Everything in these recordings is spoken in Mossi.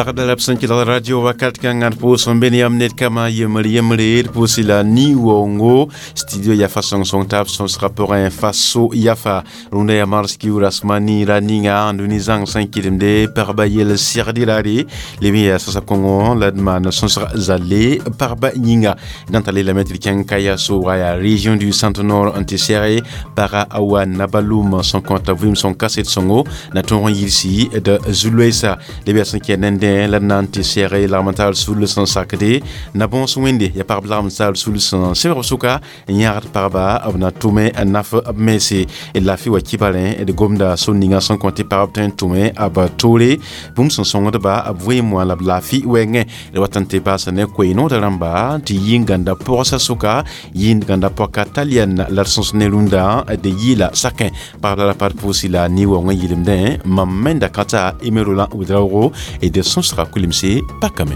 Pagda la b sẽn kelg radio wakat kãngã d pʋʋs n be ne yãmb ned kama yembr yembre d pʋʋsɩ la ni-waoongo studio yafa sõng-sõng taab sõsgã pʋgẽ faso yafa rũndã yaa mars kiuur asmani ra ninga n dũni zãng sẽn kɩdemde pagba yell segd raare leb n yaa sasa kõngo la d maan sõsg zalle pagba yĩnga d na n tar lelame tɩ d kẽng kaya sooga yaa région du centre nord n tɩ sɛge paga a wa nabalum sẽn kõta vɩɩm sõng kaset sõngo na tõog n yilsi d zu-loeesa leb yaa sẽn kɛ nendẽ la d na n tɩ sɛge lagm n taal sul sẽn sakde na bõos wẽnde yaa pagb lagm n taal sul sẽn sẽbg b sʋka n yãgd pagba b na tʋme n naf b mense d laafɩ wa kibarẽ d gomda sor ninga sẽn kõ tɩ pagb tõe n tʋme b toore bũmb sẽn sõngdba b vɩɩm wã la b laafɩ wɛɛngẽ d wat n tɩ baasa ne koe-noodã rãmba tɩ yɩ n gãnda pɔgsa sʋka yɩ n gãnda pɔka talian la d sõs ne rũndã d yɩɩla sakẽ pagb la ra pa d pʋʋsɩ la ni-waoongã yɩlemdẽ mam menda kãta Emerolã Ouedraogo d sõsga kulimse pakame.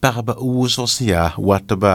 Pagba wʋsg sẽn yaa watba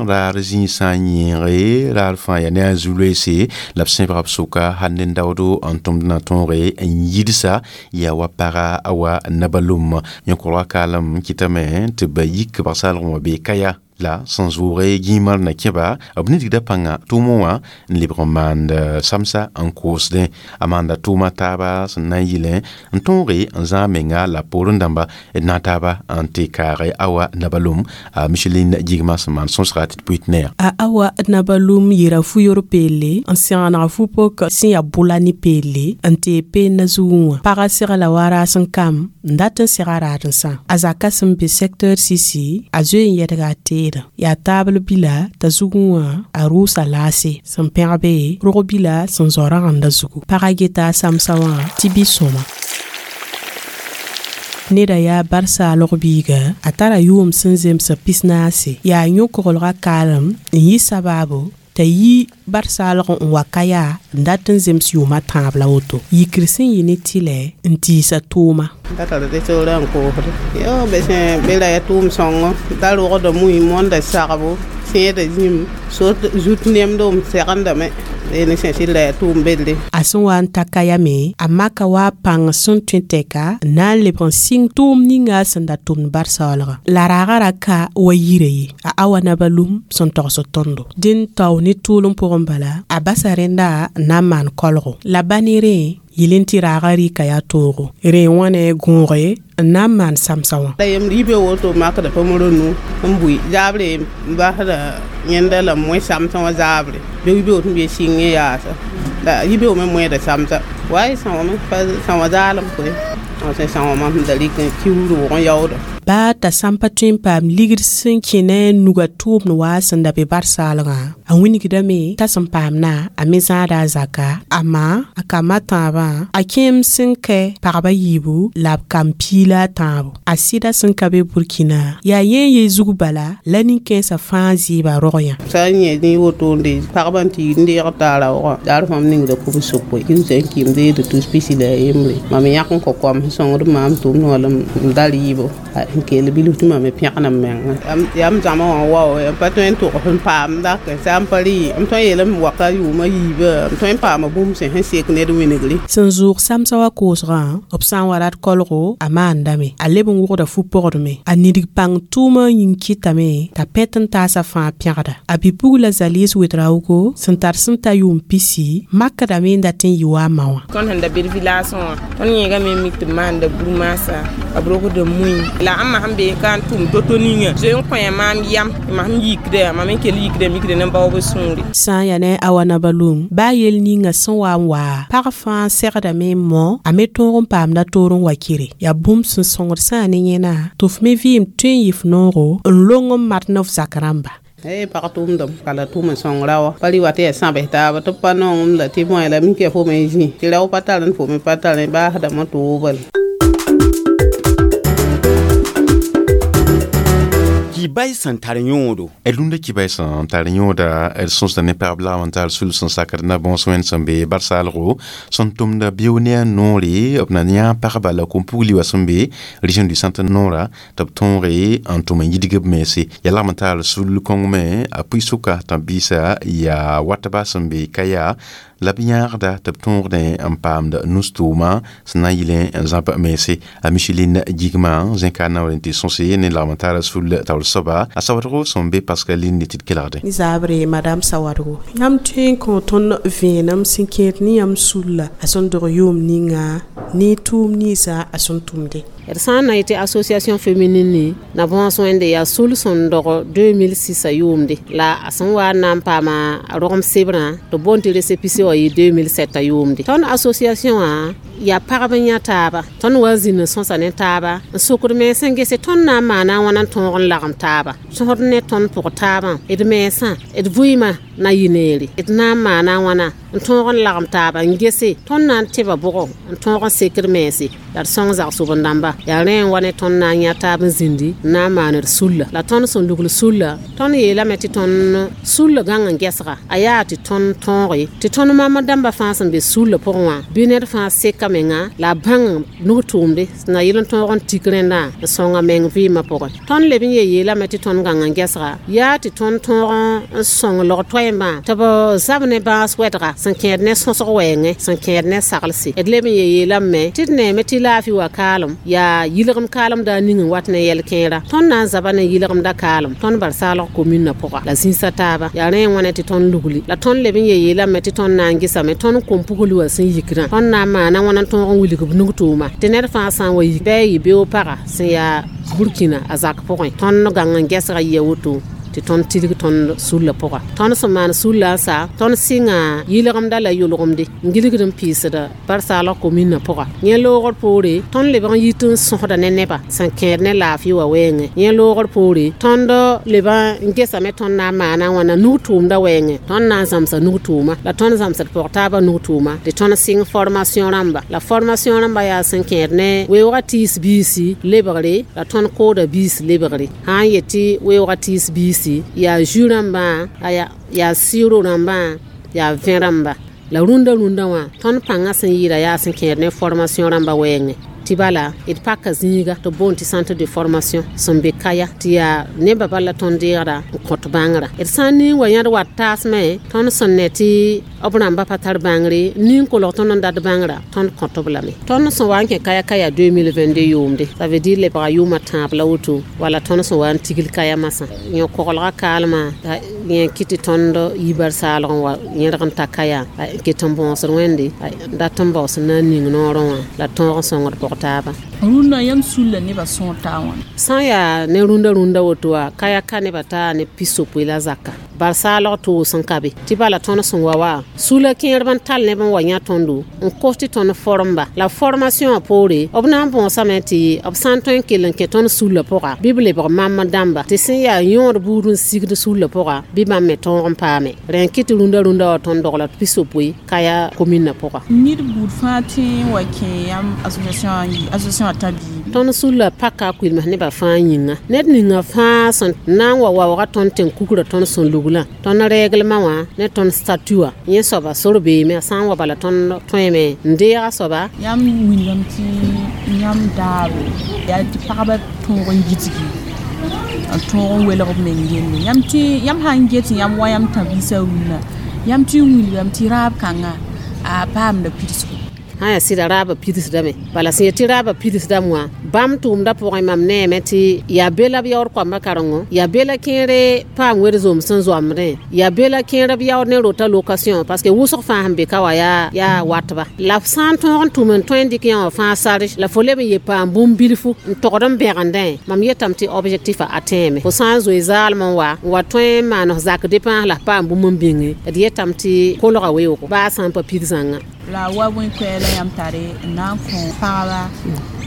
raar zĩisã yẽege raar fãa yaa ne a zu-loeese la b sẽbga b sʋka hal ne daoodo n tʋmd na tõoge n yidsa yaa wa paga a wa nabalum yõ-kolga kaalem kɩtame tɩ ba yik bag-saalg wã bee kaya la sẽn zʋʋge gĩimar na kẽba b nidgda pãnga tʋʋmẽ wã n lebg n maand samsa n koosdẽ a maanda tʋʋma taaba sẽn na n yɩlẽ n tõoge n zãag menga la poorẽ dãmba d na taaba n tɩ kaage awa nabalum a Micheline Gigma sẽn maan sõsga tɩ d pʋɩt ne a awa nabalum yɩra fu-yor peelle n sẽgeneg fu-pok sẽn yaa bʋla ne peelle n tee peenna zugẽ wã pagã segla wa raas n kam n dat n sega raadensã a zaka sẽn be secteur sisi a zoe n yɛdga a teedã yaa taabl bila t'a zugẽ wã a rʋʋsa laase sẽn pẽgbe rog bila sẽn zao rãgendã zugu pagã geta a samsa wã tɩ bɩ sõma neda yaa bar-saalg biiga a tara yʋʋm sẽn zems 44 yaa yõ-koglgã kaalem n yɩ sabaabo t'a yi bar-saalg n wa ka yaa n dat n zems yʋʋma tãab la woto yikr sẽn yɩ ne tɩlɛ n tiisa tʋʋma da tar tɩ soorã n koosde yo be sẽn be ra ya tʋʋm sõngo da rogda mui mõnda sagbo sẽeda zĩm sot zut nemdo m segendame ne sẽn sɩd la ya tʋʋm belle a sẽn wa n ta kayame a maka wa pãng sẽn tõe tɛka n na n lebg n sɩng tʋʋm ninga sẽn da tʋmd bar-saoolgã la raagã ra ka wa yira ye a awa nabalum sẽn togsd tõndo dẽn tao ne tʋʋlem pʋgẽ bala a basa rẽnda n na n maan kolgo la ba ne rẽ yɩl n tɩ raagã rɩka yaa toogo rẽ wã ne gõoge n na n maan samsa wã la yem yibe woto makda pa moro nu n bʋi zaabre n basda yẽnda la moẽ samsã wã zaabre be yibe woto n be sɩng n yaasa la yibe me moẽda samsa wa y sãoome pa sãoã zaalem koe sẽn sãoã mam sẽn da rɩk n kiuud wʋg n yaooda baa t'a sãn pa tõe n paam ligd sẽn kẽ ne a nuga tʋʋmd waa sẽn da be bar-saalgã a wingdame t'a sẽn paamna a me zãada a zaka amaa a kambã tãabã a kẽem sẽn kɛ pagba yiibu la b kam piila a tãabo a sɩda sẽn ka be Burkina yaa yẽ ye zug bala la nin-kãensã fãa zɩɩba rog yã sã n yẽ ne wotone pagba n tɩ n deeg t'a raoogã daar fãm ningda kubs sʋkoe kiusã n kɩɩm deegd tus pisi la a yembre mam yãk n kõ koam sẽn sõngd maam tʋʋmd wã la m da rɩɩbo n kell bilf tɩ mam me pẽgna m menga yaa m zãma wã wao m pa tõe n tʋgs n paam dak sã n pa rɩ m tõe n yeelame waka yʋʋmã yiibã m tõe n paama bũmb sẽn sẽn sek ned wingre sẽn zʋʋg samsã wã koosgã b sã n wa rat kolgo a maandame a leb n wʋgda fu-pogdme a nidg pãng tʋʋmã yĩng kɩtame t'a pɛt n taasa fãa pẽgda a bi-pugla Zaliis Ouedraogo sẽn tar sẽn ta yʋʋm pisi makdame n dat n yɩ wa a ma wã tõnd sẽn da be d village wã tõnd yẽegame mik tɩ b maanda bur-maasa b rogda mui la ãmba sẽn be ka n tʋm to-to ninga zoe n kõ maam yam mam sẽn yikda mam n kell yikda mikda ne baoob sũure sã n yaa ne a wa nabalum baa yel ninga sẽn wa n waa pag fãa segdame n mõ a me tõog n paamda toor n wa kɩre yaa bũmb sẽn sõngd sã ne yẽna tɩ f me vɩɩm tõe n yɩ f noogo n long n mat ne f zak rãmba pag tʋʋmdame ka la tʋʋm n sõng raoã pa rɩ wa tɩ yaa sãbs taaba tɩ b pa nongem la tɩ moẽ la mik yaa fo me zĩ tɩ rao pa tar n fo me pa tar baasdame tʋʋbl Kibay sẽn tar yõodo. D rũndã kibay sẽn tar yõoda d sõsda ne pagb lagm n tar sul sẽn sakd na bõos wẽnd sẽn be barsaalgo sẽn tʋmda bio ne a noore b na yã pagba la kom-pugli wã sẽn be région du centre noora tɩ b tõoge n tʋm n yidg b mense. Yaa lagm n taar sul kõng me a pʋɩ-sʋka tãb-biisã yaa watba sẽn be Kaya la b yãagda tɩ b tõogdẽ n paamd nus-tʋʋma sẽn na n yɩl n zãb mense. A Micheline Gigma zẽka naoor n tɩ sõse ne lagm n taara sul taoor soaba a sawadgo sẽn be Pascaline tɩ d kelgde. Ni zaabre madame Sawadgo, yãmb tõe n kõ tõnd vẽenem sẽn kẽed ne yãmb sulla a sẽn dog yʋʋm ninga ne tʋʋm ninsã a sẽn tʋmde? D sã n na yetɩ association féminine na bõos wẽnde yaa sul sẽn dog 2006 a yʋʋmde la a sẽn wa n na n paama rogem sebrã tɩ boond tɩ récépissé wã yɩ 2007 a yʋʋmde. Tõnd association wã yaa pagb n yã taaba, tõnd wa zĩnd n sõsa ne taaba n sokd mens n gese tõnd na n maana a wãna n tõog n lagem taaba sõsd ne tõnd pʋg taabã d mensã d vɩɩmã na yɩ neere d na n maana a wãna n tõog n lagem taaba n gese tõnd na n tẽba bʋgɔ n tõog n sekd mense la d sõng zagsob-dãmba. Yaa rẽ n wa ne tõnd na n yã taab n zĩndi n na n maan d sulla la tõnd sẽn lugl sulla tõnd yeelame tɩ tõnd sulla gãng n gɛsga a yaa tɩ tõnd tõoge tɩ tõnd mama dãmba fãa sẽn be sulla pʋgẽ wã bɩ ned fãa seka menga la a bãng nug-tʋʋmde sẽn na yɩl n tõog n tik rẽndã n sõnga meng vɩɩmã pʋgẽ. Tõnd leb n ye yeelame tɩ tõnd gãng n gɛsga yaa tɩ tõnd tõog n sõng log-toɛɛmbã tɩ b zab ne bãas wɛdga sẽn kẽed ne sõsg wɛɛngẽ sẽn kẽed ne saglse. D leb n ye yeelame tɩ d neeme tɩ laafɩ wa kaalem yaa yɩlgem kaalemda ning n wat ne yɛl-kẽera tõnd na n zaba ne yɩlgemda kaalem tõnd barsaalg komünã pʋga la zĩisa taaba. Yaa rẽ n wãne tɩ tõnd lugli la tõnd leb n ye yeelame tɩ tõnd na n gesame tõnd kom-pugl wã sẽn yikrã tõnd na n maana wãna n tõog n wilg b nug-tʋʋma tɩ ned fãa sã n wa yik bɩ a yɩ beoog paga sẽn yaa Burkina a zak pʋgẽ tõnd gãng n gɛsga yia woto tɩ tõnd tilg tõnd sulla pʋga. Tõnd sẽn maan sulla n sa tõnd sɩnga yɩlgemda la yʋlgemde n gilgd n piisda barsaalg komünã pʋga. Yẽ loogr poore tõnd lebg n yit n sõsda ne nebã sẽn kẽed ne laafɩ wã wɛɛngẽ. Yẽ loogr poore tõnd leb n gesame tõnd na n maana wãna nug-tʋʋmda wɛɛngẽ tõnd na n zãmsa nug-tʋʋma la tõnd zãmsd pʋg taabã nug-tʋʋma tɩ tõnd sɩng formation rãmba la formation rãmba yaa sẽn kẽed ne weoogã tiis biisi lebgre la tõnd kooda biis lebgre. Sã n yet tɩ weoogã tiis biisi yaa jus rãmbã, yaa sɩɩro rãmbã, yaa vẽ rãmba la rũndã rũndã wã tõnd pãngã sẽn yɩɩda yaa sẽn kẽed ne formation rãmba wɛɛngẽ. Tɩ bala d paka zĩiga tɩ boond tɩ centre de formation sẽn be Kaya tɩ yaa nebã bala tõnd deegda n kõt bãngrã. D sã n ning wa yãd wat taasmẽ tõnd sẽn ne tɩ b rãmba pa tar bãngre ning kolg tõnd n dat bãngrã tõnd kõt-b lame. Tõnd sẽn wa n kẽ Kaya Kaya 2022 yʋʋmde, ça veut dire lebga yʋʋmã tãab la woto wala tõnd sẽn wa n tigl Kaya masã. Yẽ koglga kaalmã yẽ kɩ tɩ tõnd yi barsaalg n wa yẽrg n ta Kaya n ket n bõosd wẽnde n dat n baoos n na n ning noorẽ wã la tõog n sõngd pʋg taaba. Rũndã yãmb sulla nebã sõor taa wãna? Sã n yaa ne rũndã rũndã woto wã Kaya ka nebã taa ne pisopoe la zaka barsaalg toos n ka be tɩ bala tõnd sẽn wa wa sula kẽerb n tall neb n wa yã tõndo n kos tɩ tõnd formba la formation wã poore b na n bõosame tɩ b sã n tõe n kell n kẽ tõnd sulla pʋga bɩ b lebg mam dãmba tɩ sẽn yaa yõod buud n sigd sulla pʋga bɩ bãmb me tõog n paame. Rẽ n kɩ tɩ rũndã rũndã wã tõnd dogla pisopoe Kaya komünã pʋga. Ned buud fãa tõe n wa kẽ yãmb association wã tã bii? Tõnd sulla paka a kuilms nebã fãa yĩnga ned ninga fãa sẽn na n wa waooga tõnd tẽn-kugrã tõnd sẽn luglã tõnd rɛglmã wã ne tõnd statut wã yẽ soaba sor beeme a sã n wa bala tõnd tõeme n deega soaba. Yãmb wilgame tɩ yãmb daabo yaa tɩ pagba tõog n gidgi n tõog n welg b meng yelle. Yãmb tɩ yãmb sã n get yãmb wa yãmb tã-biisã rũnnã yãmb tɩ n wilgame tɩ raab kãnga a paamda pidsgo? Sã yaa sɩda raabã pidsdame bala sẽn yet tɩ raabã pidsdame wã bãmb tʋʋmdã pʋgẽ mam neeme tɩ yaa be la b yaood koambã karengo yaa be la kẽere paam wed-zoom sẽn zoamdẽ yaa be la kẽer b yaood ne rota location parce que wʋsg fãa sẽn be ka wã yaa watba la f sã n tõog n tʋm n tõe n dɩk yã wã fãa sarge la fo leb n ye paam bũmb bilfu n togd n bẽgendẽ mam yetame tɩ objectif a tẽeme fo sã n zoe zaalem n wa n wa tõe n maan f zak dépense la f paam bũmb n bĩnge d yetame tɩ kolga weoogo baa sã n pa pid zãnga. La wa bõe koɛɛla yãmb tare n na n kõ pagba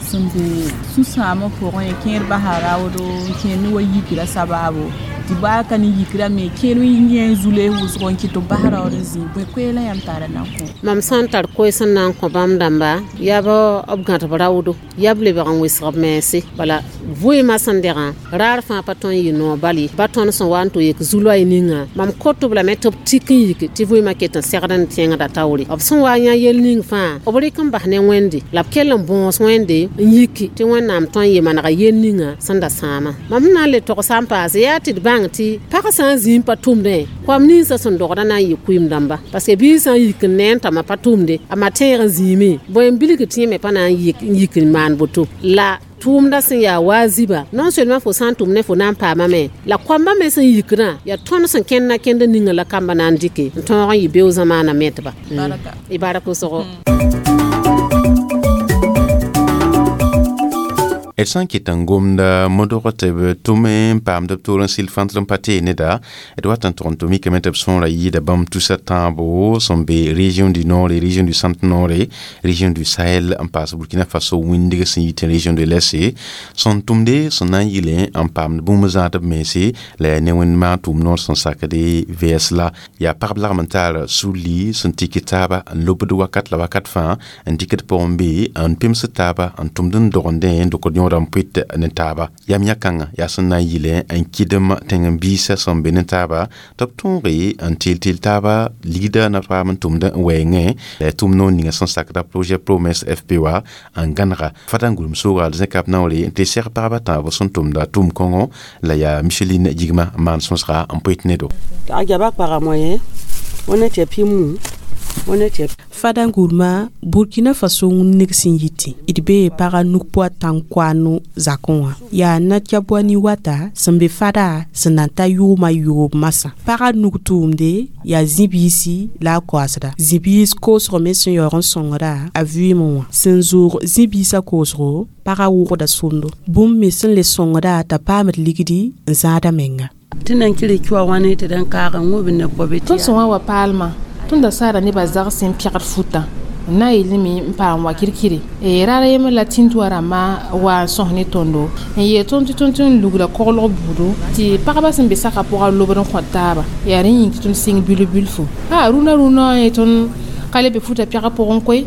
sẽn be sũ-sãamã pʋgẽ kẽer basa raoodo n kẽer ne wa yikra sabaabo Tɩ baa ka ne yikra me kẽer yẽ zule wʋsgo n kɩt tɩ b bas raood n zĩ bõe koeelã yãmb tara na n kõ? Mam sã n tar koees n na n kõ bãmb dãmba, yaa b gãd b raoodo, yaa b lebg n wɩsg b mense. Bala vɩɩmã sẽn degã raar fãa pa tõe n yɩ noog bal ye, ba tõnd sẽn wa n tɩ yek zu-loɛɛ ninga mam kot-b lame tɩ b tik n yik tɩ vɩɩmã ket n segd n tẽngda taoore. B sẽn wa n yã yel ning fãa b rɩk n bas ne Wẽnde la b kell n bõos Wẽnde n yiki tɩ Wẽnnaam tõe n yɩ manega yel ninga sẽn da sãama. Mam sẽn na n le togs n paase yaa tɩ d bãng tɩ pag sã n zĩ n pa tʋmdẽ, koam ninsã sẽn dogdã na n yɩ kʋɩm dãmba, parce que biig sã n yik n ne n t'a ma pa tʋmde, a ma tẽeg n zĩime, bõe n bilg tɩ yẽ me pa na n yik n maan boto. La tʋʋmda sẽn yaa waaziba, non seulement fo sã n tʋm ne fo na n paamame, la koambã me sẽn yikdã yaa tõnd sẽn kẽnd na kẽnd ninga la kamba na n dɩke n tõog n yɩ beoog zamaana metba. Y baraka wʋsgo. D sã n ket n gomda modg tɩ b tʋm n paamd b toor n sɩl fãntr n pa tee neda, d wat n tʋg n tɩ mikame tɩ b sõora yɩɩda bãmb tusa tãabo sẽn be région du nord, région du centre nord, région du Sahel n paas Burkina Faso wĩndg sẽn yit région de l'Est sẽn tʋmde sẽn na n yɩlẽ n paamd bũmb zãad b mense la yaa ne wẽnd maan tʋʋm noor sẽn sakde vs la yaa pagb lagm n tar sulli sẽn tik taaba n lobd wakat la wakat fãa n dɩkd pʋgẽ be n pemsd taaba n tʋmd n dogendẽ n dokd yõoda n pʋɩt ne taaba. Yam yã-kãngã yaa sẽn na n yɩlẽ n kɩdem tẽng-biisã sẽn be ne taaba tɩ b tõoge n teel-teel taaba ligda na paam n tʋmd n wɛɛngẽ la tʋm noor ninga sẽn sakda projet Promesse FPA n gãnega fada n gʋlem sooga zẽkab naoore n tɩ seg pagba tãabo sẽn tʋmda tʋʋm kõngo la yaa Micheline Jigma n maan sõsga n pʋɩt nedo. Fada gurma Burkina Faso wũneg sẽn yitẽ d bee pagã nuk pʋa tãn-koano zakẽ wã yaa na-tɩ wata sẽn be fada sẽn na n ta yʋʋmã yoob masã. Pagã nug tʋʋmde yaa zĩ-biisi la a koasda. Zĩ-biis koosg me sẽn yaoog n sõngda a vɩɩmẽ wã. Sẽn zoog zĩ-biisã koosgo pagã wʋgda sõndo. Bũmb me sẽn le sõngda t'a paamd ligdi n zãada menga. Tõnd sẽn wa wa paalmã tõnd da saara nebã zags n pɛgd futã n na n yeelame n paam wa kirkire. Raar a yembr la tĩn-tʋa rãmbã wa n sõs ne tõndo n yeel tõnd tɩ tõnd tɩ n lugla koglg buudo tɩ pagba sẽn be saka pʋga lobd n kõt taaba yaa rẽ yĩng tɩ tõnd sɩng bilf-bilfu. Rũnã rũnã ye tõnd ka le be futã pɛgã pʋgẽ koe,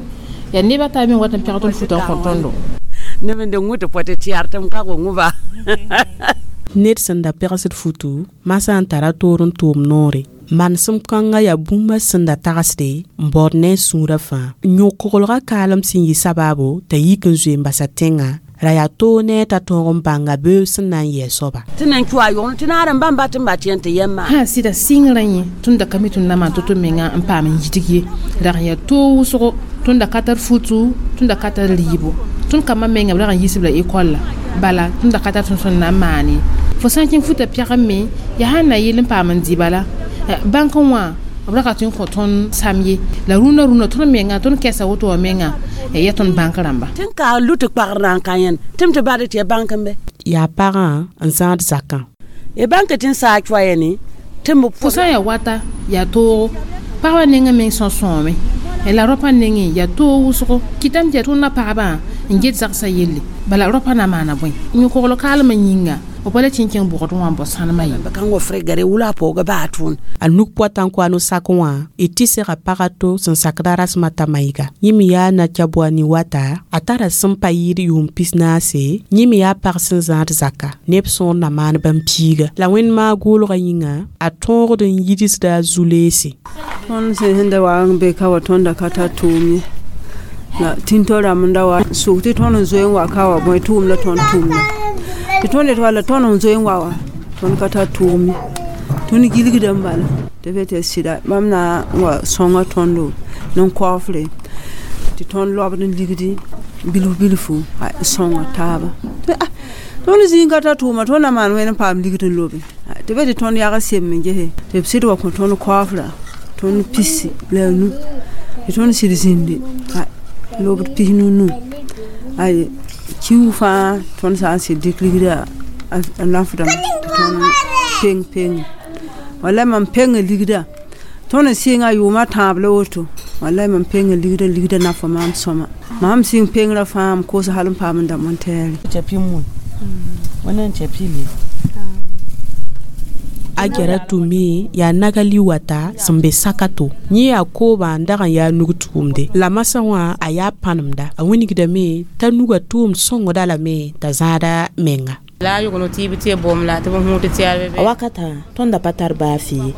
yaa nebã taa me wat n pɛg tõnd futã n kõ tõndo. Ned sẽn da pɛgsd futu masã n tara toor n tʋʋm noore. Manesem kãngã yaa bũmba sẽn da tagsde n baood ne a sũurã fãa. Yõ-koglgã kaalem sẽn yɩ sabaabo t'a yik n zoe n basa tẽngã ra yaa toog ne t'a tõog n bãnga beoog sẽn na n yɩ a soaba. Sã sɩda sɩngrã yẽ tõnd da ka mi tõnd na maan tɩ-tɩ menga n paam n yidg ye. Rag n yaa toog wʋsgo, tõnd da ka tar futu, tõnd da ka tar rɩɩbo. Tõnd kambã menga b rag n yiisb la ekɔlla, bala tõnd da ka tar tõnd sẽn na n maan ye. Fo sã n kẽng futã pɛgẽ me yaa sãn na yɩl n paam n dɩ bala. Bãnk wã b ra ka tõe n kõ tõnd sam ye, la rũnã rũnã tõnd menga tõnd kɛsa woto wã menga yaa tõnd bãnk rãmba. Yaa pagã n zãad zakã. Fo sã n yaa wata yaa toogo, pagba nengẽ meng sõ sõome la rõpã nengẽ yaa toog wʋsgo. Kɩtame tɩ yaa tõndã pagbã n get zagsã yelle, bala rõpã na maana bõe? Yõ-kogl kaalmã yĩnga b pa le tɩ n kẽng bʋgd wã n bao sãnemã ye. A nuk pʋa tãn-koano sak wã y tɩ sega pag a to sẽn sakda rasmã t'a maɩga. Yẽ me yaa na-tɩ wata a tara sẽn pa yɩɩd yʋʋm 14, yẽ me yaa pag sẽn zãad zaka neb sõor na maan bãmb piiga. La wẽnd maag goolgã yĩnga a tõogd n yidsda a zu-leese. Tõnd sẽn da wa n be ka wa tõnd da ka tar tʋʋm ye. La tĩn-tao rãmb n da wa sʋk tɩ tõnd n zoe n wa ka wa bõe tʋʋm la tõnd tʋmda. Tɩ tõnd yet wala tõnd n zoe n wa wa tõnd ka tar tʋʋm ye. Tõnd gilgda n bala tɩ be tɩ sɩda bãmb na n wa sõnga tõndo n koafre tɩ tõnd lobd n ligdi bilf bilfu n sõnga taaba. Tõnd zĩig ka tar tʋʋma tõnd na maan wẽnd n paam ligd n lobe. Tɩ be tɩ tõnd yag sem n gese tɩ b sɩd wa kõ tõnd koafra tõnd pisi la nu tɩ tõnd sɩd zĩndi lobd pis nu ay kiu fãa tõnd sã n sɩd dɩk ligda a nafdame tɩ tõnd peng peng. Wala mam peng ligda tõnd n sɩnga yʋʋmã tãab la woto wala mam peng ligda ligda nafa maam sõma. Mam sɩng pengrã fãa m koos hal n paam n dãmb n tɛɛre. A Gyara tʋme yaa nagali wata sẽn be sakato. Yẽ yaa koobã n dag n yaa nug tʋʋmde la masã wã a yaa pãnemda. A wilgdame t'a nuga tʋʋmd sõngda lame t'a zãada menga. La yʋgno tɩ b tɩ bom la tɩ b hũud tɩ a wakata tõnd da pa tar baa fɩ ye.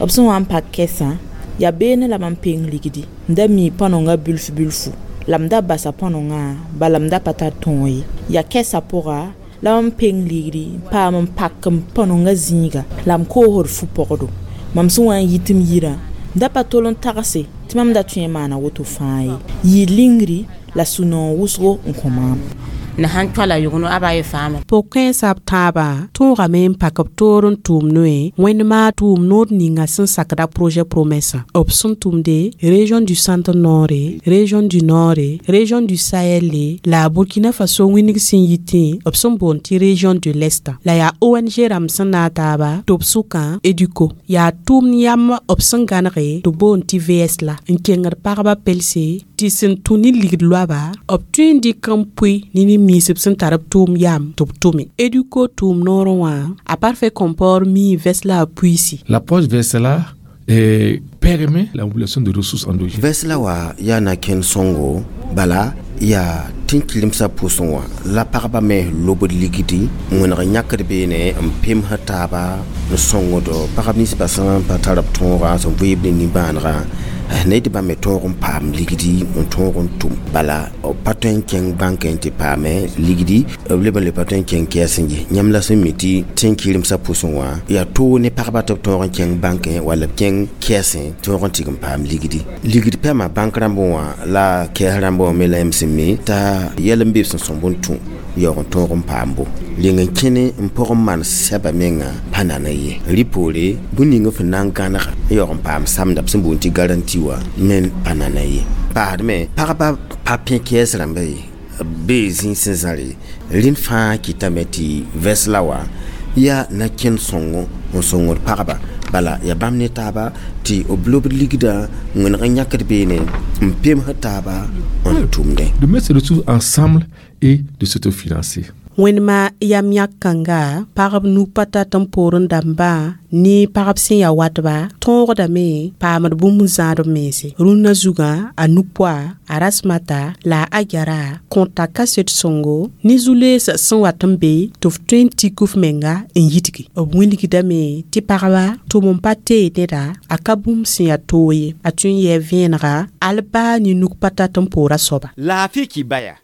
B sẽn wa n pak kɛsã yaa beene la mam peng ligdi n da mii põnengã bilf bilfu la m da basa põnengã bala m da pa tar tõog ye. Yaa kɛsã pʋga la mam peng ligdi n paam n pak m põnengã zĩiga la m koosd fu-pɔgdo. Mam sẽn wa n yit m yirã m da pa tol n tagse tɩ mam da tõe n maana woto fãa ye. Yɩɩ lingri la sũ-noog wʋsgo n kõ maam. Na sãn toala yʋgno a ba ye faame. Pʋg-kãensã b tãabã tõogame n pak b toor n tʋʋm noe wẽndma tʋʋm noor ninga sẽn sakda projet promesã. B sẽn tʋmde région du centre nord, région du nord, région du Sahel la Burkina Faso wĩneg sẽn yitẽ b sẽn boond tɩ région de l'Est. La yaa ONG rãmb sẽn naag taaba tɩ b sʋkã EDUCO. Yaa tʋʋmd yam b sẽn gãnege tɩ boond tɩ VS la n kengd pagba pelse tɩ sẽn tũ ne ligd loaba b tõe n dɩk n pʋɩ ne nin-miisb sẽn tar b tʋʋm yam tɩ b tʋme. EDUCO tʋʋm noorẽ wã a parfait comport mii vɛs la a puiisi. L'approche VSLA permet la mobilisation de ressources endogènes. Vɛs la wa yaa na kẽnd sõngo bala yaa tẽn-kilemsã pʋsẽ wã la pagba me lobd ligdi n wẽneg yãkd beene n pemsd taaba n sõngd pagb ninsbã sẽn pa tar b tõogã sẽn vɩɩb ne nimbãanegã ne tɩ bãmb me tõog n paam ligdi n tõog n tʋm. Bala b pa tõe n kẽng bãnkẽ tɩ paame ligdi b leb n le pa tõe n kẽng kɛɛs n yɩ. Yãmb la sẽn mi tɩ tẽn-kɩremsã pʋsẽ wã yaa toog ne pagba tɩ b tõog n kẽng bãnkẽ walla b kẽng kɛɛsẽ tõog n tɩg n paam ligdi. Ligd pɛma bãnk rãmbẽ wã la kɛɛs rãmbẽ wã me la yãmb sẽn mi t'a yɛl n be b sẽn sõmb n tũ yaoog n tõog n paambo. Leng n kẽne n pʋg n maan sɛba menga pa nana ye. Rɩ poore bũmb ning f na n gãnega n yaoog n paam samda b sẽn boond tɩ garanti wã men pa nana ye. Paasdme pagba pa pẽ kɛɛs rãmba ye bee zĩig sẽn zãre rẽnd fãa kɩtame tɩ vɛs la wa yaa na kẽnd sõngo n sõngd pagba. Bala yaa bãmb ne taaba tɩ b lobd ligdã n wẽneg n yãkd beene n pemsd taaba n tʋmdẽ. De mettre ces ressources ensemble et de s'autofinancer. Wẽndma yam yãk kãnga pagb nu pa tat n poorẽ dãmbã ne pagb sẽn yaa watba tõogdame paamd bũmb n zãad b mense. Rũnnã zugã a nu-poa a rasmata la a Agyara kõta kaset sõngo ne zu-lees sẽn wat n be tɩ f tõe n tik f menga n yidgi. B wilgdame tɩ pagba tʋm n pa teed neda a ka bũmb sẽn yaa toog ye. A tõe n yɛɛ vẽenega al baa ne nug pa tat n poora soaba. Laafɩ kibaya.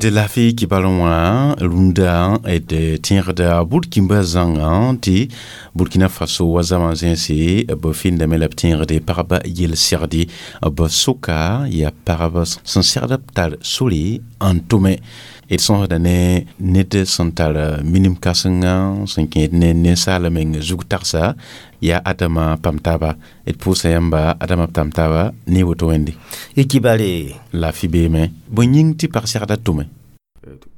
D laafɩ kibal wã rũndã d tẽegda burkimba zãngã tɩ Burkina Faso wa zãma zẽnse b fɩndame la b tẽegde pagba yel-segdi b soka yaa pagb sẽn segd b tar sore n tʋme. D sõsda ne ned sẽn tar minim kãsenga sẽn kẽed ne ninsaal meng zug tagsa yaa Adama pam taaba. D pʋʋsa yãmba Adama pam taaba ne woto wẽnde. Y kibare. Laafɩ beeme bõe yĩng tɩ pag segda tʋme.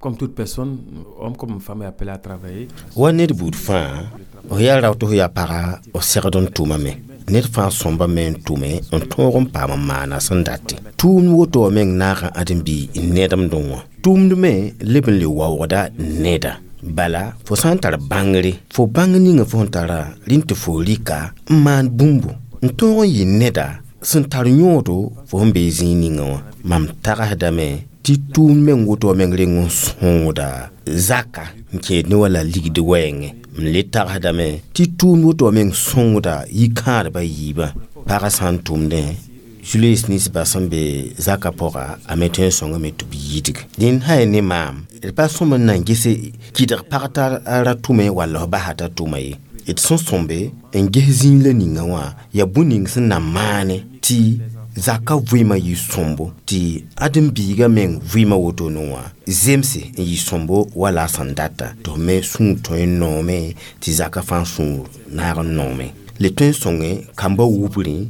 Comme toute personne, homme comme femme est appelé à travailler. Wa ned buud fãa f yaa rao tɩ f yaa paga f segd n tʋmame. Ned fãa sõmba me n tʋme n tõog n paam n maana sẽn date. Tʋʋmd woto wã meng naaga ãdem-bi nedemdẽ wã. Tʋʋmd me leb n le waoogda neda. Bala fo sã n tar bãngre fo bãng ninga fo sẽn tara rẽnd tɩ fo rɩka n maan bũmbu n tõog n yɩ neda sẽn tar yõodo fo sẽn bee zĩig ninga wã. Mam tagsdame tɩ tʋʋmd meng woto wã meng reng n sõoda zaka n kẽed ne wala ligd wɛɛngẽ. M le tagsdame tɩ tʋʋmd woto wã meng sõngda yikãadba yiibã. Pagã sã n tʋmdẽ Julius ninsbã sẽn be zaka pʋga a me tõe n sõngame tɩ b yidg. Dẽnd sã yaa ne maam d pa sõm n na n gese kɩdg pag t'a ra tʋme walla f basa t'a tʋma ye. D sẽn sõmbe n ges zĩig la ninga wã yaa bũmb ning sẽn na maane tɩ zaka vɩɩmã yɩ sõmbo tɩ ãdem-biigã meng vɩɩmã wotone wã zemse n yɩ sõmbo wala a sẽn data tɩ f me sũur tõe n noome tɩ zaka fãa sũur naag n noome. Le tõe n sõnge kambã wubrẽ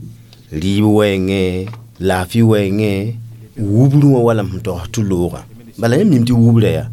rɩɩb wɛɛngẽ laafɩ wɛɛngẽ wubrẽ wã wala m sẽn togs tɩ loogã. Bala yãmb mim tɩ wubrã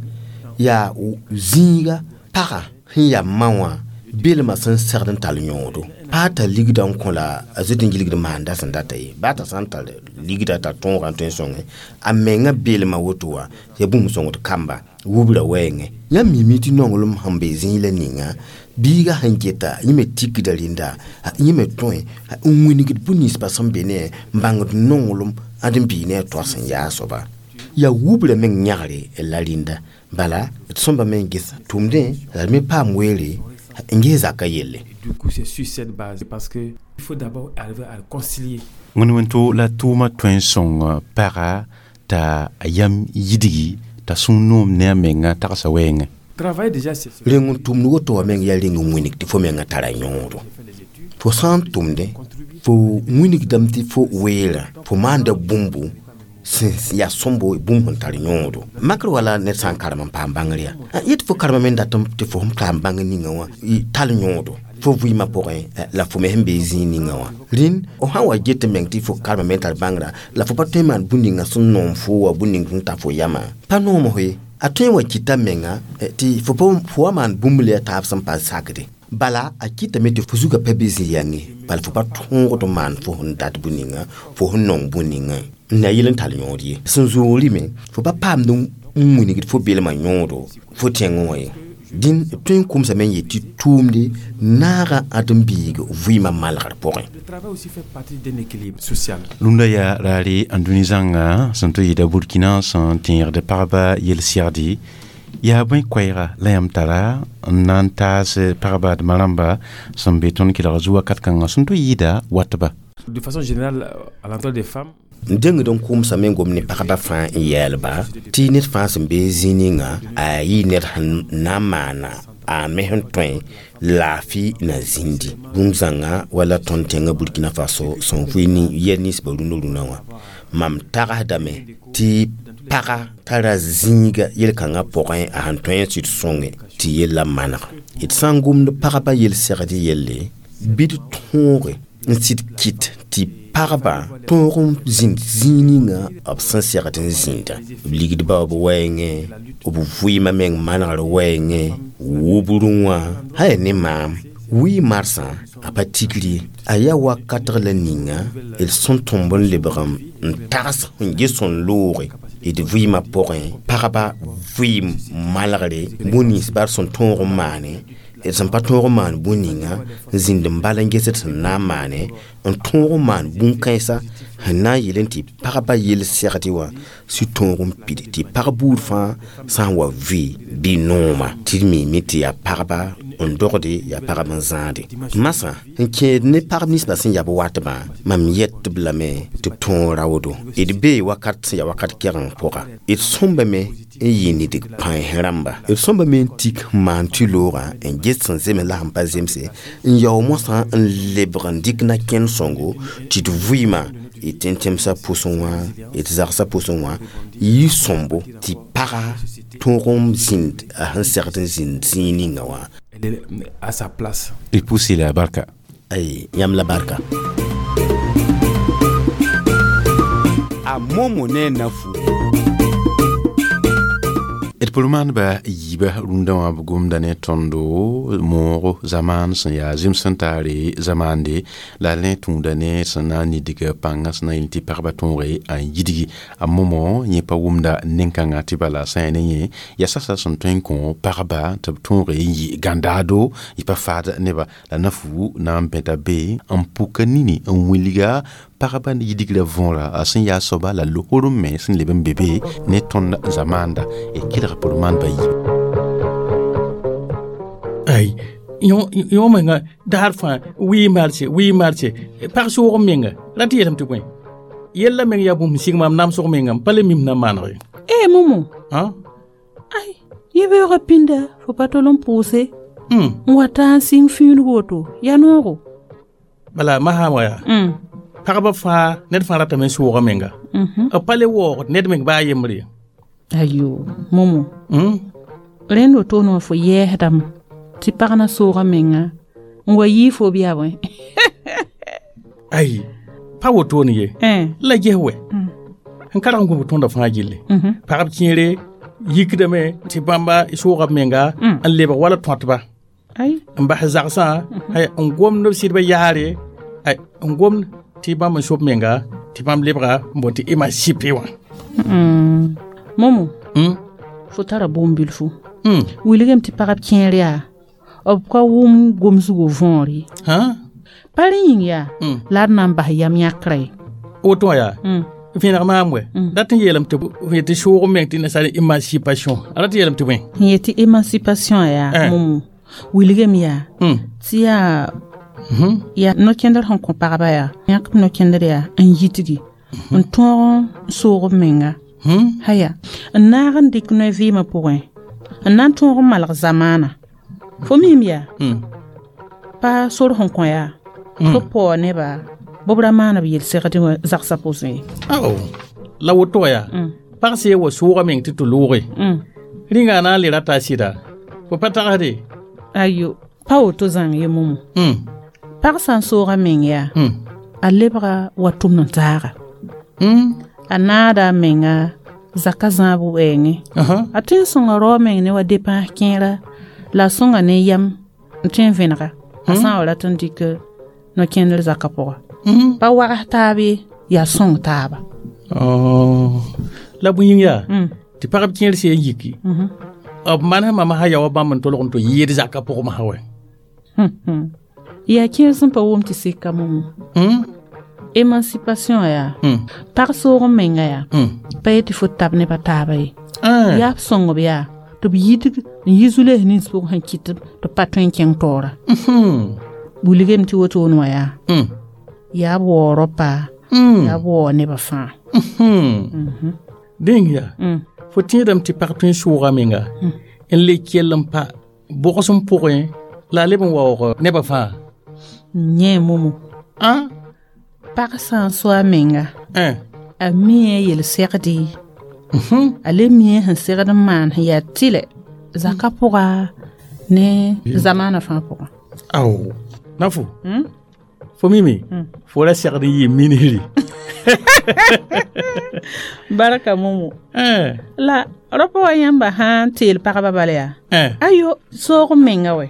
yaa zĩiga pagã sẽn yaa ma wã belmã sẽn segd n tall yõodo. Pa tar ligda n kõ la a zoet n gilgd maanda sẽn data ye. Baa t'a sã n tar ligda t'a tõogã n tõe n sõnge a menga beelmã woto wã yaa bũmb sõngd kamba wubra wɛɛngẽ. Yãmb mimi tɩ nonglem sẽn be zĩig la ninga biiga sẽn geta yẽ me tikda rẽnda, yẽ me tõe n wingd bũn-ninsbã sẽn be ne n bãngd nonglem ãdem-biig ne a toa sẽn yaa a soaba. Yaa wubra meng yãgre la rĩnda. Bala d sõmba me n ges tʋʋmdẽ la d me paam weere n ges zakã yelle. Du coup, c'est sur cette base, parce que il faut d'abord arriver à réconcilier. Wẽn-wẽnto la tʋʋmã tõe n sõng paga t'a yam yidgi t'a sũur noom ne a menga tagsa wɛɛngẽ. Travailler déjà, c'est Reng n tʋmd woto wã meng yaa reng n wilg tɩ fo menga tara yõodo. Fo sã n tʋmdẽ, fo wilgdame tɩ fo weerã, fo maanda bũmbu sẽn yaa sõmbo, bũmb sẽn tar yõodo. Makr wala ned sã n karem n paam bãngr yaa. Yet fo karema me n dat tɩ fo sẽn paam bãngr ninga wã tall yõodo fo vɩɩmã pʋgẽ la fo me sẽn be zĩig ninga wã. Rĩnd fo sã n wa get meng tɩ fo karema me n tar bãngrã la fo pa tõe n maan bũn ninga sẽn noom fo wa bũn ning sẽn ta fo yamã pa noom fo ye. A tõe n wa kɩta menga tɩ fo wa maan bũmb le a taab sẽn pa sakde. Bala a kɩtame tɩ fo zugã pa be zĩ-yãnge, bala fo pa tõogd n maan fo sẽn dat bũn ninga, fo sẽn nong bũn ninga n na yel n tall yõod ye. Sẽn zoogr me fo pa paamd n wilgd fo belmã yõodo fo tẽngẽ wã ye. Dĩn b tõe n kʋmsame n yet tɩ tʋʋmde naaga ãdem-biig vɩɩmã malgr pʋgẽ. Le travail aussi fait partie d'un équilibre social. Rũndã yaa raare ãndũni zãnga sẽn tɩ yɩɩda Burkina sẽn tẽegd pagba yel-segde yaa bõe koɛɛga la yãmb tara n na n taas pagba d ma-rãmba sẽn be tõnd kelg zu wakat kãngã sẽn tɩ yɩɩda watba. De façon générale, à l'endroit des femmes, N dengd n kʋmsame n gom ne pagba fãa n yɛɛlba tɩ ned fãa sẽn be zĩig ninga a yɩ ned sẽn na n maana a me sẽn tõe laafɩ na zĩndi. Bũmb zãnga wala tõnd tẽngã Burkina Faso sẽn vɩ yɛl ninsbã rũnã rũnã wã, mam tagsdame tɩ paga tara zĩiga yel-kãngã pʋgẽ a sẽn tõe n sɩd sõnge tɩ yellã maneg. D sã n gomd pagba yel-segd yelle bɩ d tõoge n sɩd kɩt tɩ pagba tõog n zĩnd zĩig ninga b sẽn segd n zĩnda. B ligdba b wɛɛngẽ, b vɩɩmã meng manegr wɛɛngẽ, wʋbrẽ wã sã yaa ne maam wɩɩ marsã a pa tikr ye. A yaa wakatg la ninga d sẽn tõmb n lebg n tags n ges sẽn looge d vɩɩmã pʋgẽ pagba vɩɩm malgre bũn-ninsba d sẽn tõog n maane, d sẽn pa tõog n maan bũn ninga n zĩnd n bal n gesd sẽn na n maane, n tõog n maan bũn-kãensã sẽn na n yeel tɩ pagba yel-segd wã sɩ tõog n pid tɩ pag buud fãa sã n wa vɩ bɩ nooma tɩ d miime tɩ yaa pagba n dogde, yaa pagb n zãade. Masã n kẽed ne pagb ninsbã sẽn yab watbã, mam yet-b lame tɩ b tõog raoodo. D bee wakat sẽn yaa wakat kɛgeng pʋga. D sõmbame n yɩ nidg pãens rãmba. D sõmbame n tik n maan tɩ loogã n ges sẽn zems la sẽn pa zemse n yao mosã n lebg n dɩk na kẽnd sõngo tɩ d vɩɩmã d tẽn tẽmsã pʋsẽ wã, d zagsã pʋsẽ wã yɩ sõmbo tɩ paga tõog n zĩnd a sẽn segd n zĩnd zĩig ninga wã. Elle est à sa place. D pʋʋs la barka. Ay, yãmb la barka. A Momo ne nafu. D pʋl-maandbã yiibã rũndã wã b gomda ne tõndo moogo zamaan sẽn yaa zĩms sẽn taare zamaande la rẽ tũuda ne sẽn na n nidg pãngã sẽn na n yel tɩ pagba tõoge n yidgi. A momo yẽ pa wʋmda nen-kãngã tɩ bala sã yaa ne yẽ yaa sasa sẽn tõe n kõ pagba tɩ b tõoge n yɩ gãndaado yɩ pa faad neba la nafu na n bẽta be n pʋka nini n wilga pagba yidgrã võora a sẽn yaa soaba la losr me sẽn leb n be be ne tõnd zamaanda d kelg pʋl-maandbã yi. Ay, yõ menga daar fãa wɩ marche, wɩ marche pag soog m menga ra tɩ yeelame tɩ bõe yella meng yaa bũmb sig maam namsg menga m pa le mim na n maneg ye. E Momo. Ã? Ai, yẽ beoogã pĩnda fo pa tol n pʋʋse n wa taa n sɩng fĩineg woto yaa noogo. Bala masã wã yaa pagba fãa ned fãa ratame n soogã menga b pa le waoogd ned meng baa yembre ye. Ayo Momo, rẽnd wotone wã fo yɛɛsdame tɩ pag na soogã menga n wa yii fo b yaa bõe. Ai, pa wotone ye la ges wɛ n karg n gũbg tõndã fãa gilli pagb kẽere yikdame tɩ bãmba sooga b menga n lebg wala tõatba. N bas zagsã n gomd b sɩdbã yaare, n gomd tɩ bãmb n sob menga tɩ bãmb lebga n boond tɩ émancipé wã. Momo, fo tara bõn-bilfu. Wilgame tɩ pagb kẽer yaa b ka wʋm gomsgo võor ye. Pa rẽ yĩng yaa la d na n bas yam yãkrã ye. Woto wã yaa vẽneg maam wɛ dat n yeelame tɩ yetɩ soog meng tɩ nasaar émancipation, a rat yeelame tɩ bõe? N yetɩ émancipation yaa, Momo, wilgame yaa tɩ yaa yaa no-kẽndr sẽn kõ pagba yaa yãkb no-kẽndr yaa n yitgi n tõog n soog b menga, haya n naag n dɩk noy vɩɩmã pʋgẽ n na n tõog n malg zamaana. Fo miime yaa pa sor sẽn kõ yaa tɩ b paoog neba bɩ b ra maan b yel-segd zagsã pʋsẽ ye. Ao, la woto wã yaa pag sã wa soogã meng tɩ tɩ looge rĩnga na n le rata a sɩda fo pa tagsde? Ayo, pa woto zãng ye, Momo. Pag sã n soogã meng yaa a lebga wa tʋmd n taaga, a naada a menga zaka zãab wɛɛngẽ, a tõe n sõnga rao meng ne wa depãs kẽera la a sõnga ne yam n tõe n vẽnega a sã n wa rat n dɩk no-kẽndr zakã pʋga. Pa wags taab ye, yaa sõng taaba. La bõe yĩng yaa tɩ pagb kẽer sã n yiki b manes mama sã ya wa bãmb n tolg n tɩ yɩɩd zakã pʋgẽ masã wɛ? Yaa kẽer sẽn pa wʋm tɩ seka, Momo. Émancipation yaa pag soog n menga yaa pa yetɩ fo tab nebã taaba ye, yaa b sõngb yaa tɩ b yitg n yi zu-loees nins pʋgẽ sẽn kɩt tɩ b pa tõe n kẽng taoora. Wilgame tɩ wotone wã yaa yaa b waoog raopa, yaa b waoog nebã fãa. Dẽng yaa fo tẽedame tɩ pag tõe n sooga menga n le kell n pa bʋgsem pʋgẽ la a leb n waoog nebã fãa? Yẽ, Momo, pag sã n so a menga a mie yel-segde, a le mie sẽn segd n maan sẽn yaa tɩlɛ zakã pʋga ne zamaanã fãa pʋgã. Ao, Nafo, fo mime fo ra segd n yɩ minisri. Barka, Momo. La rapa wa yãmba sã n teel pagba bala yaa ayo soog n menga wɛ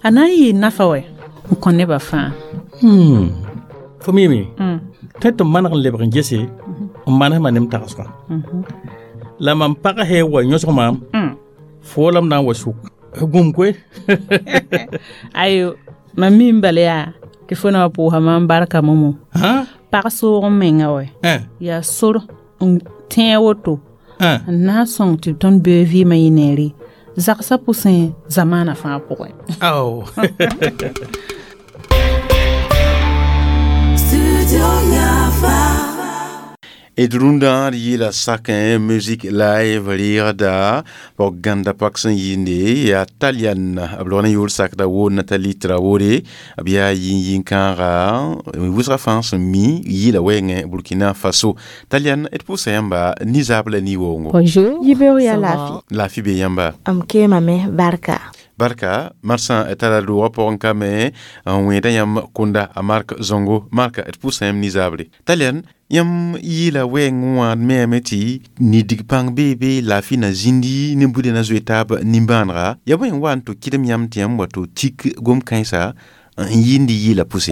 a na n yɩɩ nafa wɛ n kõ nebã fãa. Fo mime tõe tɩ m maneg n lebg n gese n manesmã ne m tagsgã la mam pag sã wa yõsg maam fo la m na n wa sʋk gũm koe. Ayo, mam mi n bala yaa tɩ fo na wa pʋʋsa mam barka, Momo. Pag soog n menga wɛ yaa sor n tẽeg woto n na n sõng tɩ tõnd beoog vɩɩmã yɩ neere zagsã pʋsẽ zamaanã fãa pʋgẽ. Ao. D rũndã d yɩɩla sakẽ musique live rɩɩgda pog gãnda pak sẽn yɩɩnde yaa Talian b log ne yʋʋr sakda wo Nathalie Traoré, b yaa yĩn-yĩn-kãaga wʋsga fãa sẽn mi yɩɩla wɛɛngẽ Burkina Faso. Talian, d pʋʋsa yãmba nizaab la ni-waoongo. Bonjour. Yibeoog yaa laafɩ. Laafɩ be yãmba? M keemame, barka. Barka marsã tara roogã pʋgẽ kame n wẽeda yãmb kʋnda a Mark Zongo. Marka, d pʋʋsa yãmb nizabre. Talian, yãmb yɩɩla wɛɛng wã d meame tɩ nidig pãng beebe laafɩ na zĩndi ne buda na zoe taab nimbãanega yaa bõe n wa n tɩ kɩdem yãmb tɩ yãmb wa tɩ tik gom-kãensa n yɩɩnd yɩɩla pʋse?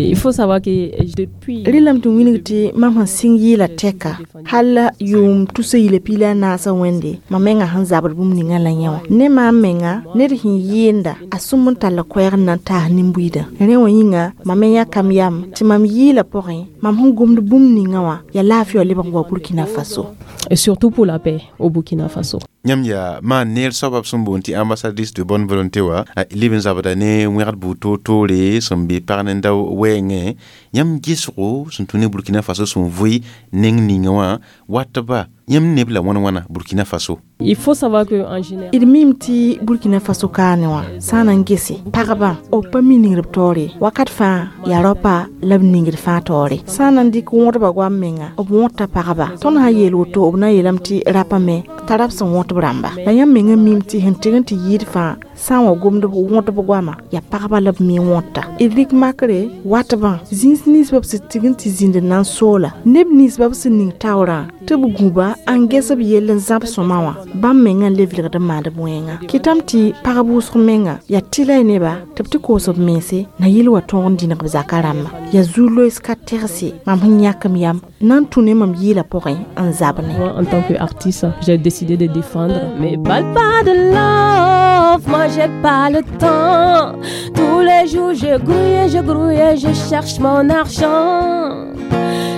Il faut savoir que depuis Rɩlame tɩ wilg tɩ mam sẽn sɩng yɩɩla tɛka hal yʋʋm tusa yila piila a naasã wẽnde mam menga sẽn zabd bũmb ninga la yẽ wã ne maam menga ned sẽn yɩɩnda a sũm n tall koɛɛg n na n taas nin-buiidã. Rẽ wã yĩnga mam me yãkam yam tɩ mam yɩɩla pʋgẽ mam sẽn gomd bũmb ninga wã yaa laafɩ wã lebg n wa Burkina Faso. Et surtout pour la paix au Burkina Faso. Yãmb yaa maan neer soaba b sẽn boond tɩ ambassadrice de bonne volonté wã leb n zabda ne wẽgd buud toor-toore sẽn be pag nin-dao wɛɛngẽ. Yãmb gesgo sẽn tũ ne Burkina Faso sẽn vʋɩ neng ninga wã watba yãmb neb la wãn-wãna Burkina Faso? Il faut savoir que en général D mim tɩ Burkina Faso kaane wã sã n na n gese pagba b pa mi ningd b taoore wakat fãa yaa raopa la b ningd fãa taoore sã n na n dɩk wõdba goam menga b wõta pagba. Tõnd sã n yeel woto b na n yeelame tɩ rapa me t'a rab sẽn wõt b rãmba. La yãmb menga mim tɩ sẽn tɩg n tɩ yɩɩd fãa Sã n wa gomd wõtb goama yaa pagba la b me wõta d rɩk makre watbã zĩis ninsbã b sẽn tign tɩ zĩnd na n soola neb ninsbã b sẽn ning taoorã tɩ b gũba n ges b yell n zãb sõma wã bãmb mengã n le vilgd n maand b wẽnga kɩtame tɩ pagb wʋsg menga yaa tɩla y neba tɩ b tɩ koos b mense na yɩl wa tõog n dĩneg b zaka rãmbã yaa zu-loees ka tegse mam sẽn yãk m yam na n tũ ne mam yɩɩla pʋgẽ n zab ne. Moi, en tant qu'artiste, j'ai décidé de défendre. Mais parle pas de love, moi j'ai pas le temps. Tous les jours je grouille, je grouille, je cherche mon argent.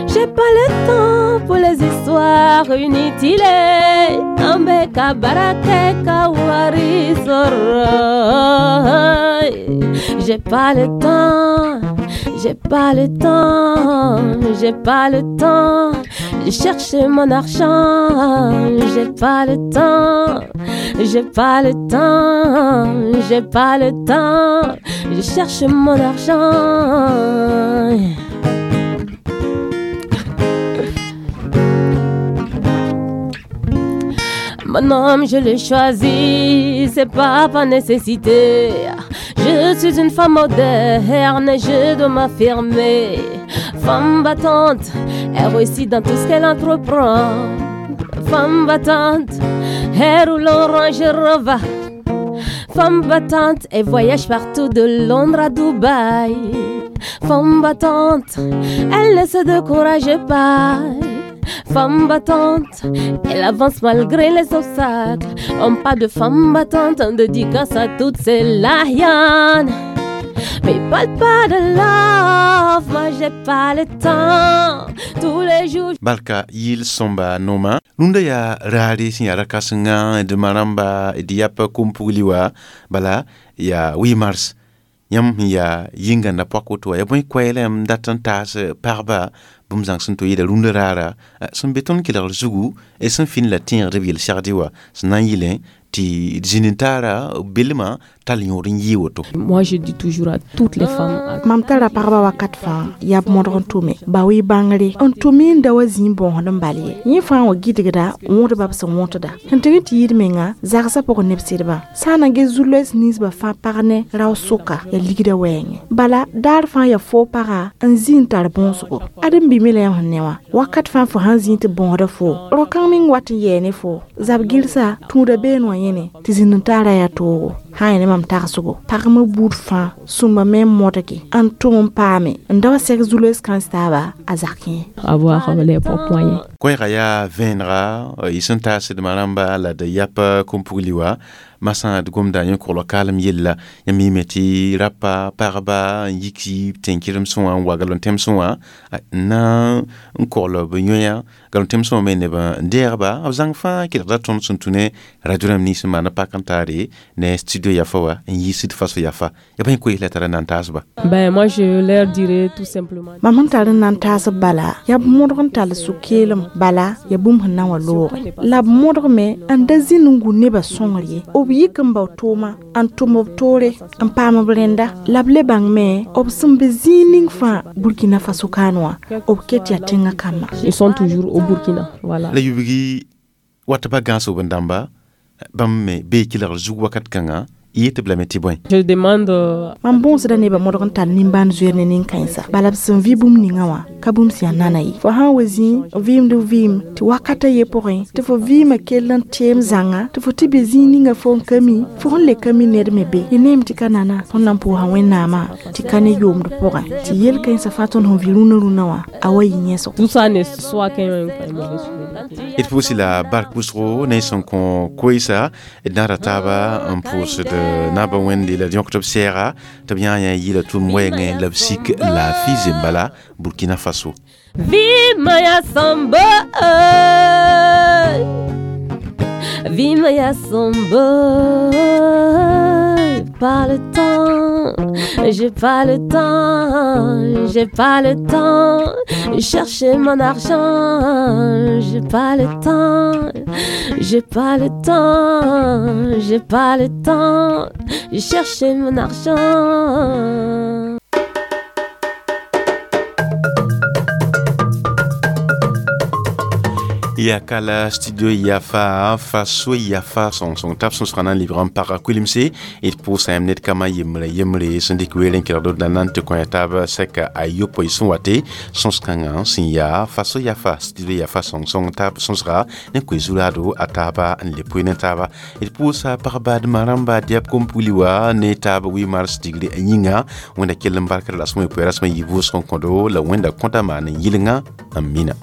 J'ai pas le temps pour les histoires inutiles. Ambeka barakeka wari soro. J'ai pas le temps, j'ai pas le temps, j'ai pas le temps. Je cherche mon argent, j'ai pas le temps, j'ai pas le temps, j'ai pas le temps. Je cherche mon argent. Mon homme, je l'ai choisi, c'est pas par nécessité. Je suis une femme moderne et je dois m'affirmer. Femme battante, elle réussit dans tout ce qu'elle entreprend. Femme battante, elle roule en Range Rover. Femme battante, elle voyage partout de Londres à Dubaï. Femme battante, elle ne se décourage pas. Femme battante, elle avance malgré les obstacles. On pas de femme battante, on dédicace à toutes ces lahianes. Mais parle pas de love, moi j'ai pas le temps. Tous les jours. Barka yil sõmba noma rũndã yaa raare sẽn yaa ra-kãsenga d ma rãmba d yap kom-pugli wa bala yaa 8 mars yãmb sẽn yaa yĩngãnda poak woto wã ya bõe koɛɛla yãmb dat n taas pagba bũmb zãng sẽn to yɩɩda rũndã raara sẽn be tõnd kelgr zugu sẽn fĩn la tẽegd b yel-segd wã sẽn na n yɩlẽ tɩ d zĩnd-n-taara belmã tall yõod n yɩɩ woto. Moi, je dis toujours à toutes les femmes. Mam tara pagba wakat fãa yaa b modg n tʋme ba-wɩ bãngre n tʋm n da wa zĩig bõosd n bal ye yẽ fãa wa gɩdgda wõtba b sẽn wõtda sẽn tɩg n tɩ yɩɩd menga zagsã pʋgẽ neb sɩdbã sã n na ges zu-loees ninsbã fãa pag ne rao-sʋka yaa ligda wɛɛngẽ bala daar fãa yaa foo paga n zĩ n tar bõosgo ad n bime la yãmb sẽn ne wã wakat fãa fo sãn zĩig tɩ bõosda foo rao-kãng meng wat n yɛɛ ne foo zab gɩlsa tũuda been wã yẽne tɩ zĩnd n taara yaa toogo sã n ne mam tagsgo pagmã buud fãa sũmba me n modge n tʋm n paame n da wa sɛg zu-loees kãens taaba a zak yẽ. Avoir les propres moyens. Koɛɛga yaa vẽenega y sẽn taasd ma rãmba la d yap kom-pugli wã masã d gomda yẽ kogl kaalem yella yãmb yĩme tɩ rapa pagba n yik tẽn-kɩremsẽ wã n wa galo-tẽmsẽ wã n na n kogl b yõya galo-tẽmsẽ wã me neb n deegba b zãng fãa kelgda tõnd sẽn tũ ne radio rãmb nins sẽn maan pak n taare ne studio yafa wa n yiisd faso yafa ya bõe koees la tara n na n taasba. Ben moi je leur dirais tout simplement. Mam sẽn tar n na n taasb bala yaa b modg n tall sũ-keelem bala yaa bũmb sẽn na n wa looge la b modgme n da zĩnd n gu nebã sõngr ye b yik n bao tʋʋma n tʋm b toore n paam b rẽnda la b le bãng me b sẽn be zĩig ning fãa Burkina Faso kaan wã b ket yaa tẽngã kambã. Ils sont toujours au Burkina, voilà. La yubgi wat pa gãs b dãmba bãmb me bee kelgr zug wakat kãnga y yet b lame tɩ bõe. Je demande mam bõosda nebã modg n tall nimbãan zoeer ne nin-kãensa bala b sẽn vɩ bũmb ninga wã ka bũmb sẽn yaa nana ye fo sã n wa zĩig vɩɩmd vɩɩm tɩ wakata ye pʋgẽ tɩ fo vɩɩmã kell n teem zãnga tɩ fo tɩ be zĩig ninga fo n ka mi fo sẽn le ka mi ned me be y neem tɩ ka nana tõnd na n pʋʋsa Wẽnnaamã tɩ ka ne yoomd pʋgẽ tɩ yel-kãensã fãa tõnd sẽn vɩ rũnã rũnã wã a wa yɩ yẽsgo. Tout ça ne soit qu'un mauvais souvenir. D pʋʋsɩ la bark wʋsgo ne sẽn kõ koeesa d naara taaba n pʋʋsd naaba wẽnde la d yõkd b sɛɛga tɩ b yã yã yɩɩla tʋʋm wɛɛngẽ la b sik laafɩ zembala Burkina Faso. Vima ya sombo, vima ya sombo, pas le temps, j'ai pas le temps, j'ai pas le temps, chercher mon argent, j'ai pas le temps, j'ai pas le temps, j'ai pas le temps, chercher mon argent. Y Ya kala studio Yafa, Faso Yafa sõng tab sõsgã na n lebg n paga kuilemse d pʋʋsa yãmb ned kama yembre yembre sẽn dɩk weel n kelgd d na n tɩ kõ ya taab sɛka a yopoe sẽn wate sõs-kãngã sẽn yaa Faso Yafa, studio Yafa sõng tab sõsga ne koe zuraado a taaba n le poe ne taaba. D pʋʋsa pag-baadmã rãmba dɛb kom-pugli wa ne taab 8 mars digre a yĩnga. Wẽnda kell n barkr la sẽn poe rasmã yɩ vʋʋsg n kõdo la Wẽnda kõta maan n yɩlenga n mina.